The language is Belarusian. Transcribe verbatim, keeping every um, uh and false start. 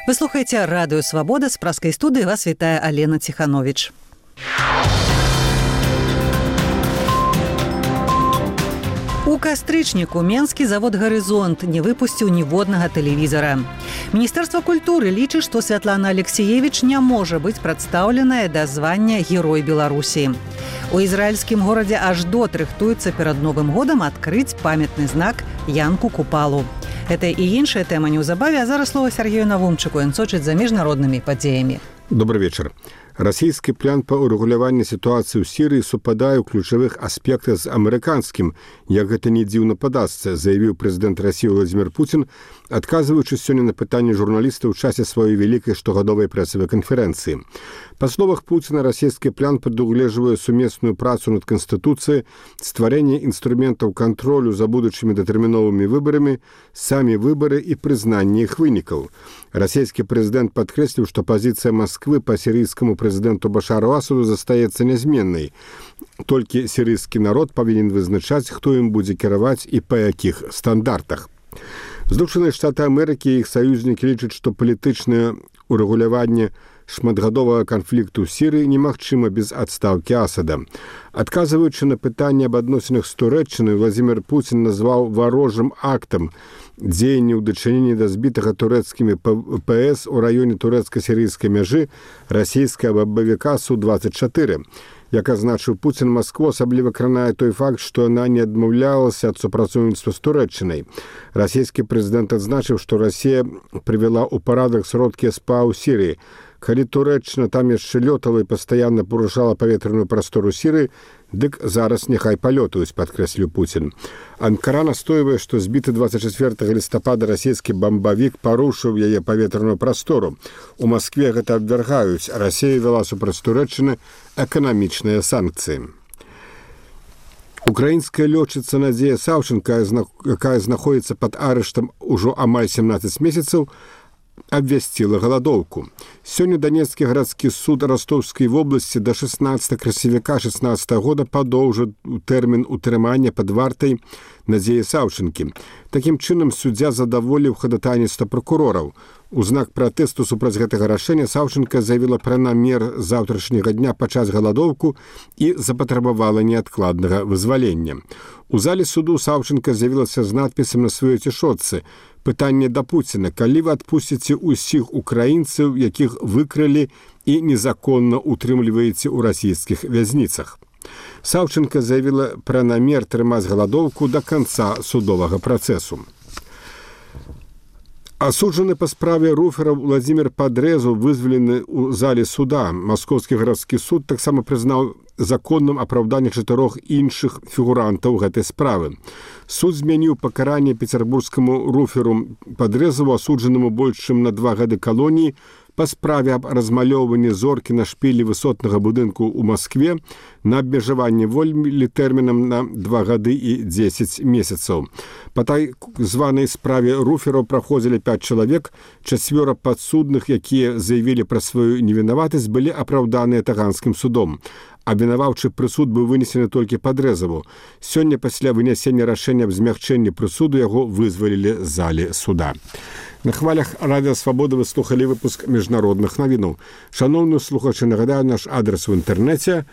Вы слухаеце радыё Свабода, з праскай студыі вас вітае Алена Ціхановіч. У кастрычніку менскі завод «Гарызонт» не выпусціў ніводнага тэлевізара. Міністэрства культуры лічыць, што Святлана Алексеевіч не можа быць прадстаўленая да звання Герой Беларусі. У ізраільскім горадзе Аждот рыхтуецца перад Новым годам адкрыць памятны знак Янку Купалу. Гэта і іншая тэма неўзабаве, а зараз слова Сергею Навумчыку, ён сочыць за міжнароднымі падзеямі. Добрый вечер. Расійскі план па ўрэгуляванні сітуацыі ў Сірыі супадае ў ключавых аспектах з амерыканскім, як гэта не дзіўна падасца, заявіў прэзідэнт Расіі Владзімір Пуцін, адказваючы сёння на пытанні журналістаў у часе сваёй вялікай штогадовай прэсавай канферэнцыі. Па словах Пуціна, расійскі план прадугледжвае сумесную працу над Канстытуцыяй, стварэнне інструментаў кантролю за будучымі датэрміновымі выбарамі, самі выбары і прызнанне іх вынікаў. Расійскі прэзідэнт падкрэсліў, што пазіцыя Масквы па сірыйскаму прэзідэнту Башару Асаду застаецца нязменнай. Толькі сірыйскі народ павінен вызначаць, хто ім будзе кіраваць і па якіх стандартах. Злучаныя Штаты Амерыкі і іх саюзнікі лічаць, што палітычнае ўрэгуляванне шматгадовага канфлікту ў Сірыі немагчыма без адстаўкі Асада. Адказваючы на пытанне аб адносінах з Турэччынай, Владзімір Пуцін назваў варожым актам дзеянні ў дачыненні да збітага турэцкімі ПС у раёне турэцка-сірыйскай мяжы расійскага бабавіка Су двадцять чатыры. Як азначыў Пуцін, Маскву асабліва кранае той факт, што яна не адмаўлялася ад супрацоўніцтва з Турэччынай. Расійскі прэзідэнт адзначыў, што Расія прывяла ў парадак сродкі СПА ў Сірыі. Калі Турэччына там яшчэ лётала і пастаянна парушала паветраную прастору Сірыі, дык зараз няхай палётаюць, падкрэсліў Пуцін. Анкара настойвае, што збіты двадцять чацвёртага лістапада расійскі бамбавік парушыў яе паветраную прастору. У Маскве гэта абвяргаюць, а Расія вяла супраць Турэччыны эканамічныя санкцыі. Украінская лётчыца Надзея Саўченка, якая знаходзіцца пад арыштам ужо амаль семнадцаць месяцаў, абвясціла галадоўку. Сёння Данецкі гарадскі суд Ростовскай вобласці да шэснаццатага красавіка шэснаццатага года падоўжыў тэрмін утрымання пад вартай Надзеі Саўчэнкі. Такім чынам суддзя задаволіў хадатайніцтва пракурораў. У знак пратэсту супраць гэтага рашэння Саўчэнка заявіла пра намер заўтрашняга дня пачаць галадоўку і запатрабавала неадкладнага вызвалення. У зале суду Саўчэнка з'явілася з надпісам на сваёй цішотцы: «Пытанне да Пуціна, калі вы адпусціце ўсіх украінцаў, якіх выкралі і незаконна утрымліваеце ў расійскіх вязніцах». Саўчэнка заявіла пра намер трымаць галадоўку да канца судовага працэсу. Асуджаны па справе руфераў Владзімір Падрэзу вызвалены ў зале суда. Маскоўскі гарадскі суд таксама прызнаў законным апраўданне чатырох іншых фігурантаў гэтай справы. Суд змяніў пакаранне пецярбургскаму руферу Падрэзу, асуджанаму больш чым на два гады калоніі, па справе аб размалёўванні зоркі на шпілі высотнага будынку ў Маскве на абмежаванне волі тэрмінам на два гады і дзесяць месяцаў. Па так званай справе руфераў праходзілі пяць чалавек, чацвёра падсудных, якія заявілі пра сваю невінаватасць, былі апраўданыя таганскім судом. Абвінаваўчы прысуд быў вынесены толькі Падрэзаву. Сёння пасля вынясення рашэння аб змягчэнні прысуду яго вызвалілі з залі суда. На хвалях Радыё Свабода вы слухалі выпуск міжнародных навінаў. Шаноўныя слухачы, нагадаю наш адрес у інтэрнэце